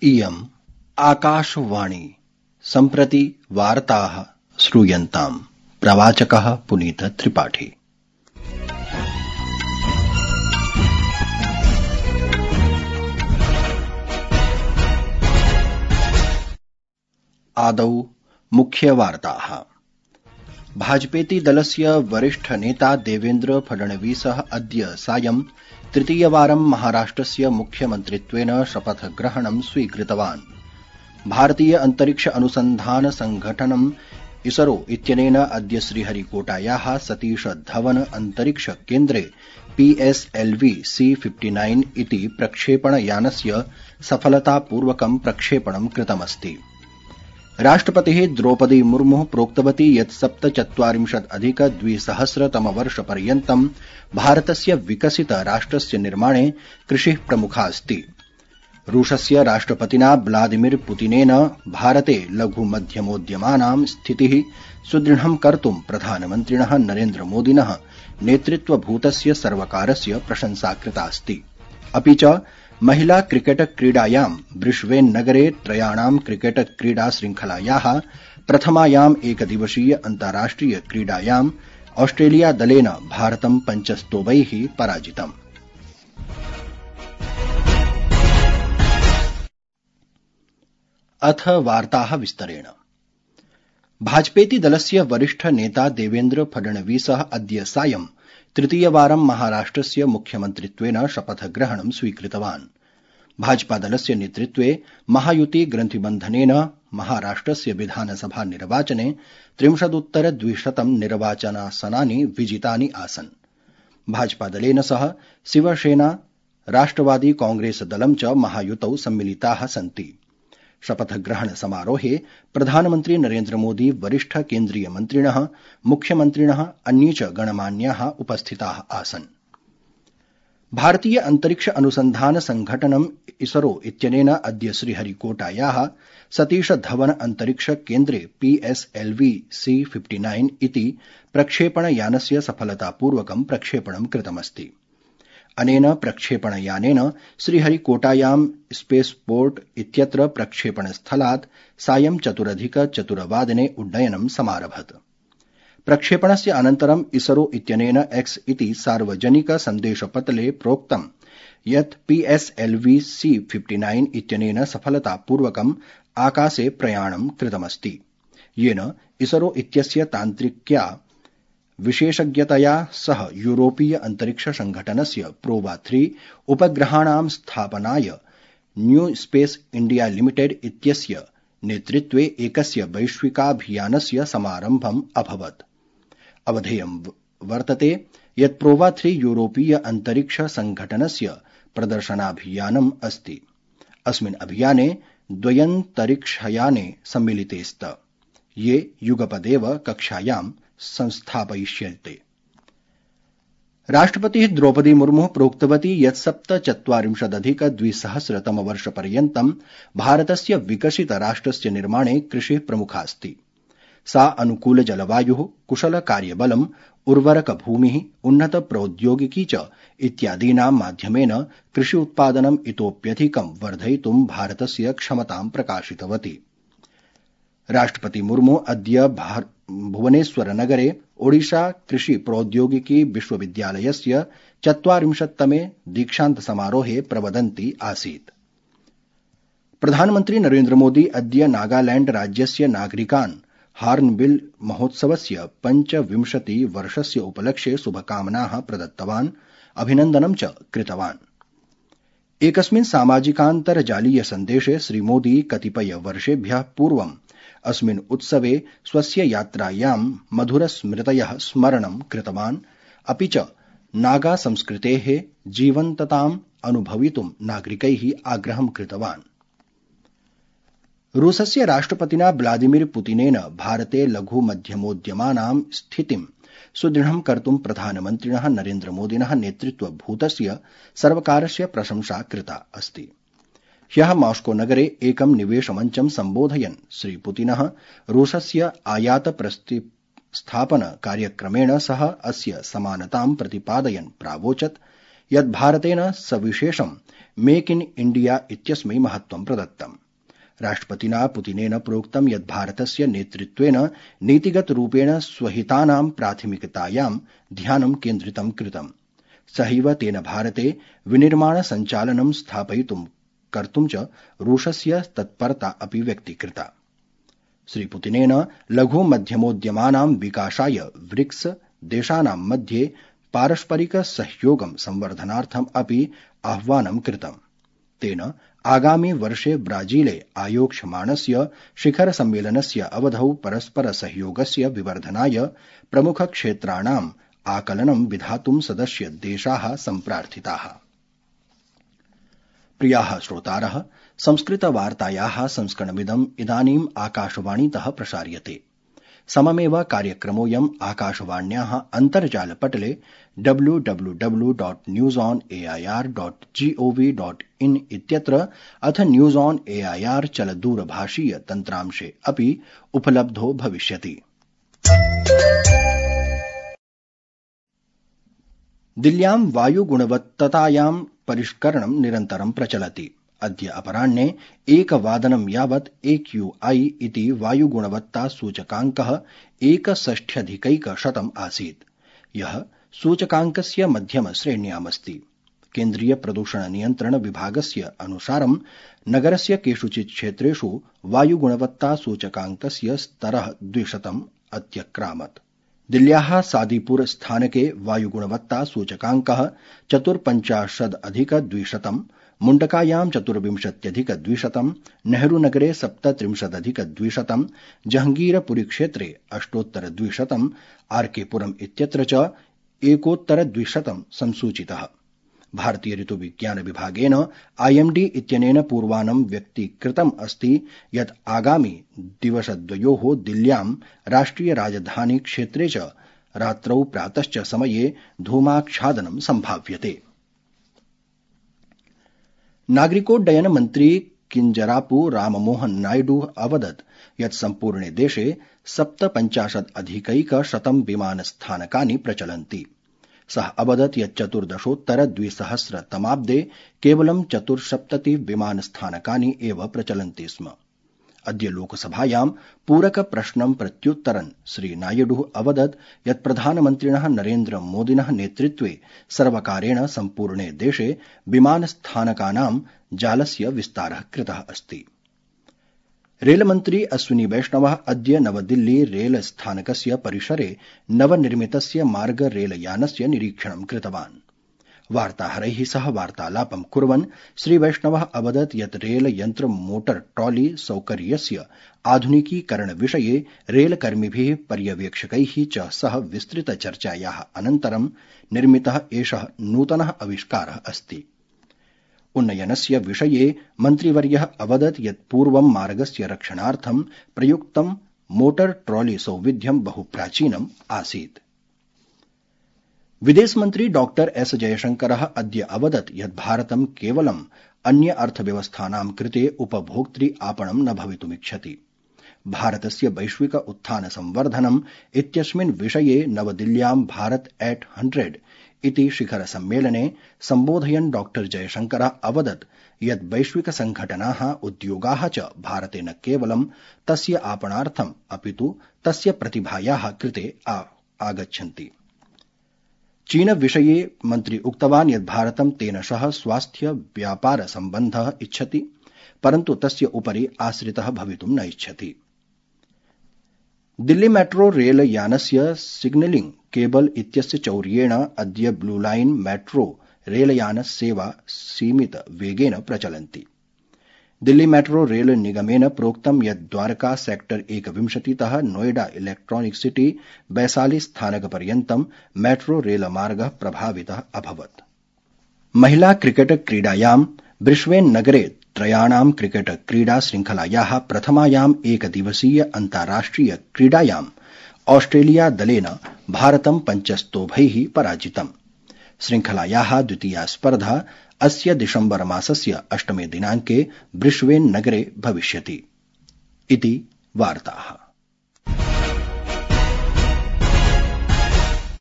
इयम् आकाशवाणी सम्प्रति वार्ताः श्रूयन्ताम्। प्रवाचकः पुनीत त्रिपाठी। आदौ मुख्यवार्ताः। भाजपेति दलस्य वरिष्ठ नेता देवेन्द्र फडणवीसः अद्य सायं तृतीयवारं महाराष्ट्रस्य मुख्यमन्त्रित्वेन शपथग्रहणं स्वीकृतवान्। भारतीय अंतरिक्ष अनुसन्धान संघटनम् इसरो इत्यनेन अद्य श्रीहरिकोटायाः सतीश धवन अंतरिक्ष केन्द्रे PSLV C-59 इति प्रक्षेपणयानस्य सफलतापूर्वकं प्रक्षेपणं कृतमस्ति। राष्ट्रपतिः द्रौपदी मुर्मुः प्रोक्तवती यत् 2047-2000 भारतस्य विकसित राष्ट्रस्य निर्माणे कृषिः प्रमुखा अस्ति। रूसस्य राष्ट्रपतिना व्लादिमिर पुतिनेन भारते लघु मध्यमोद्यमानां स्थितिः सुदृढं कर्तुं प्रधानमन्त्रिणः नरेन्द्र मोदिनः नेतृत्वभूतस्य सर्वकारस्य प्रशंसा कृतास्ति। अपि च महिला क्रिकेट क्रीडायां ब्रिस्बेन नगरे त्रयाणां क्रिकेट क्रीडा श्रृंखलायाः प्रथमायाम् एकदिवसीय अन्ताराष्ट्रिय क्रीडायां ऑस्ट्रेलिया दलेन भारतं 5-2 पराजितम्। अथ वार्ताः विस्तरेण। भाजपेति दलस्य वरिष्ठ नेता देवेन्द्र फडणवीसः अद्य सायं तृतीयवारं महाराष्ट्रस्य मुख्यमन्त्रित्वेन शपथग्रहणं स्वीकृतवान्। भाजपादलस्य नेतृत्वे महायुति ग्रन्थिबन्धनेन महाराष्ट्रस्य विधानसभा निर्वाचने 30-200 निर्वाचनासनानि विजितानि आसन्। भाजपादलेन सह शिवसेना, राष्ट्रवादी कांग्रेस दलं च महायुतौ सम्मिलिताः सन्ति। शपथग्रहण समारोहे प्रधानमन्त्री नरेन्द्र मोदी, वरिष्ठ केन्द्रीय मन्त्रिणः, मुख्यमन्त्रिणः, अन्ये च गणमान्याः उपस्थिताः आसन्। भारतीय अंतरिक्ष अनुसन्धान संघटनम् इसरो इत्यनेन अद्य श्रीहरिकोटायाः सतीश धवन अंतरिक्ष केन्द्रे PSLV C-59 इति प्रक्षेपणयानस्य सफलतापूर्वकं प्रक्षेपणं कृतमस्ति। अनेन प्रक्षेपणयानेन श्रीहरिकोटायां स्पेसपोर्ट इत्यत्र प्रक्षेपणस्थलात् सायं 4:04 उड्डयनं समारभत। प्रक्षेपणस्य अनन्तरं इसरो इत्यनेन X इति सार्वजनिक सन्देशपटले प्रोक्तं यत् PSLV C-59 इत्यनेन सफलतापूर्वकं आकाशे प्रयाणं कृतमस्ति, येन इसरो इत्यस्य तान्त्रिक्या विशेषज्ञतया सह यूरोपीय अंतरिक्ष संघटनस्य प्रोवा-3 उपग्रहाणां स्थापनाय न्यू स्पेस इंडिया लिमिटेड इत्यस्य नेतृत्वे एकस्य वैश्विकाभियानस्य समारम्भम् अभवत्। अवधेयं वर्तते यत् प्रोवा-3 यूरोपीय अंतरिक्ष संघटनस्य प्रदर्शनाभियानम् अस्ति। अस्मिन् अभियाने द्वयन्तरिक्षयाने सम्मिलिते स्त, ये युगपदेव कक्षायां संस्थापयिष्यन्ते। राष्ट्रपतिः द्रौपदी मुर्मुः प्रोक्तवती यत् 2047-2000 भारतस्य विकसित राष्ट्रस्य निर्माणे कृषिः प्रमुखा अस्ति। सा अनुकूल जलवायुः, कुशल कार्यबलम्, उर्वरक भूमिः, उन्नत प्रौद्योगिकी च इत्यादीनां माध्यमेन कृषि उत्पादनम् इतोप्यधिकं वर्धयितुं भारतस्य क्षमतां प्रकाशितवती। राष्ट्रपति मुर्मु अद्य भुवनेश्वरनगरे ओडिशा कृषि प्रौद्योगिकी विश्वविद्यालयस्य 40तमे दीक्षान्त समारोहे प्रवदन्ती आसीत्। प्रधानमन्त्री नरेन्द्र मोदी अद्य नागालैण्ड राज्यस्य नागरिकान् हार्नबिल महोत्सवस्य 25 वर्षस्य उपलक्ष्ये शुभकामनाः प्रदत्तवान्, अभिनन्दनं च कृतवान्। एकस्मिन् सामाजिकान्तर्जालीय सन्देशे श्रीमोदी कतिपय वर्षेभ्यः पूर्वम् अस्मिन् उत्सवे स्वस्य यात्रायां मधुरस्मृतयः स्मरणं कृतवान्, अपि च नागा संस्कृतेः जीवन्तताम् अनुभवितुं नागरिकैः आग्रहं कृतवान्। रूसस्य राष्ट्रपतिना व्लादिमिर पुतिनेन भारते लघु मध्यमोद्यमानां स्थितिं सुदृढं कर्तुं प्रधानमन्त्रिणः नरेन्द्र मोदिनः नेतृत्वभूतस्य सर्वकारस्य प्रशंसा कृता अस्ति। ह्यः मॉस्को नगरे एकं निवेशमञ्चं सम्बोधयन् श्रीपुतिनः रूसस्य आयात प्रतिस्थापन कार्यक्रमेण सह अस्य समानतां प्रतिपादयन् प्रावोचत् यत् भारतेन सविशेषं मेक इन इंडिया इत्यस्मै महत्वं प्रदत्तम्। राष्ट्रपतिना पुतिनेन प्रोक्तं यत् भारतस्य नेतृत्वेन नीतिगतरूपेण स्वहितानां प्राथमिकतायां ध्यानं केन्द्रितं कृतम्। सहैव तेन भारते विनिर्माण सञ्चालनं स्थापयितुं कर्तुं च रूसस्य तत्परता अपि व्यक्तीकृता। श्रीपुतिनेन लघु मध्यमोद्यमानां विकासाय ब्रिक्स देशानां मध्ये पारस्परिक सहयोगं संवर्धनार्थम् अपि आह्वानं कृतम्। तेन आगामि वर्षे ब्राजीले आयोक्ष्यमाणस्य शिखर सम्मेलनस्य अवधौ परस्पर सहयोगस्य विवर्धनाय प्रमुख क्षेत्राणाम् आकलनं विधातुं सदस्य देशाः सम्प्रार्थिताः। प्रियाः श्रोतारः, संस्कृतवार्तायाः संस्करणमिदम् इदानीम् आकाशवाणीतः प्रसार्यते। सममेव कार्यक्रमोऽयम् आकाशवाण्याः अन्तर्जालपटले www.newsonair.gov.in इत्यत्र अथ न्यूज ऑन एआईआर चलदूरभाषीय तन्त्रांशे अपि उपलब्धो भविष्यति। दिल्ल्यां वायुगुणवत्ततायां परिष्करणं निरन्तरं प्रचलति। अद्य अपराह्ने 1:00 यावत् AQI इति वायुगुणवत्ता सूचकाङ्कः 61 आसीत्, यः सूचकाङ्कस्य मध्यम श्रेण्यामस्ति। केन्द्रीय प्रदूषण नियन्त्रण विभागस्य अनुसारं नगरस्य केषुचित् क्षेत्रेषु वायुगुणवत्ता सूचकाङ्कस्य स्तरः 200 अत्यक्रामत्। दिल्ल्याः सादीपुर स्थानके वायुगुणवत्ता सूचकाङ्कः 54+200, मुण्डकायां 24+200, नेहरूनगरे 37+200, जहंगीरपुरी क्षेत्रे 8+200, आर्केपुरम् इत्यत्र च 1+200 संसूचितः। भारतीय ऋतुविज्ञान विभागेन IMD इत्यनेन पूर्वानं व्यक्तीकृतम् अस्ति यत् आगामि दिवसद्वयोः दिल्ल्यां राष्ट्रिय राजधानी क्षेत्रे च रात्रौ प्रातश्च समये धूमाच्छादनं सम्भाव्यते। नागरिकोड्डयन मन्त्री किंजरापु राममोहन नायडू अवदत् यत् सम्पूर्णे देशे 57+100 विमानस्थानकानि प्रचलन्ति। सः अवदत् यत् 14-2000 केवलं 74 विमानस्थानकानि एव प्रचलन्ति स्म। अद्य लोकसभायां पूरक प्रश्नं प्रत्युत्तरन् श्री नायडू अवदत् यत् प्रधानमन्त्रिणः नरेन्द्र मोदिनः नेतृत्वे सर्वकारेण सम्पूर्णे देशे विमानस्थानकानां जालस्य विस्तारः कृतः अस्ति। रेलमन्त्री अश्विनी वैष्णवः अद्य नवदिल्ली रेलस्थानकस्य परिसरे नवनिर्मितस्य मार्ग रेलयानस्य निरीक्षणं कृतवान्। वार्ताहरैः सह वार्तालापं कुर्वन् श्री वैष्णवः अवदत् यत् रेलयन्त्र मोटर ट्रॉली सौकर्यस्य आधुनिकीकरणविषये रेलकर्मिभिः पर्यवेक्षकैः च सह विस्तृतचर्चायाः अनन्तरं निर्मितः एषः नूतनः आविष्कारः अस्ति। उन्नयनस्य विषये मन्त्रिवर्यः अवदत् यत् पूर्वं मार्गस्य रक्षणार्थं प्रयुक्तं मोटर ट्रॉली सौविध्यं बहु प्राचीनम् आसीत्। विदेशमन्त्री डॉक्टर एस जयशंकरः अद्य अवदत् यत् भारतं केवलं अन्य अर्थव्यवस्थानां कृते उपभोक्तृ आपणं न भवितुमिच्छति। भारतस्य वैश्विक उत्थान संवर्धनम् इत्यस्मिन् विषये नवदिल्ल्यां भारत एट 100 इति शिखर सम्मेलने सम्बोधयन् डॉक्टर जयशंकरः अवदत् यत् वैश्विक संघटनाः उद्योगाः च भारते न केवलं तस्य आपणार्थम् अपितु तस्य प्रतिभायाः कृते आगच्छन्ति। चीन विषये मन्त्री उक्तवान् यत् भारतं तेन सह स्वास्थ्य व्यापार सम्बन्धः इच्छति, परन्तु तस्य उपरि आश्रितः भवितुं न इच्छति। दिल्ली मेट्रो रेलयानस्य सिग्नलिंग केबल इत्यस्य चौर्येण अद्य ब्लू लाइन मेट्रो रेलयान सेवा सीमित वेगेन प्रचलन्ति। दिल्ली मेट्रो रेल निगमेन प्रोक्तं यत् द्वारका सेक्टर 21तः नोएडा इलेक्ट्रॉनिक सिटी वैशाली स्थानकपर्यन्तं मेट्रो रेलमार्गः प्रभावितः अभवत्। महिला क्रिकेट क्रीडायां ब्रिस्बेन नगरे त्रयाणां क्रिकेट क्रीडा श्रृंखलायाः प्रथमायाम् एकदिवसीय अन्ताराष्ट्रिय क्रीडायाम् ऑस्ट्रेलिया दलेन भारतं 5 पराजितम्। श्रृंखलायाः द्वितीया स्पर्धा अस्य दिसम्बर मासस्य 8 दिनाङ्के ब्रिस्बेन नगरे भविष्यति। इति वार्ताः।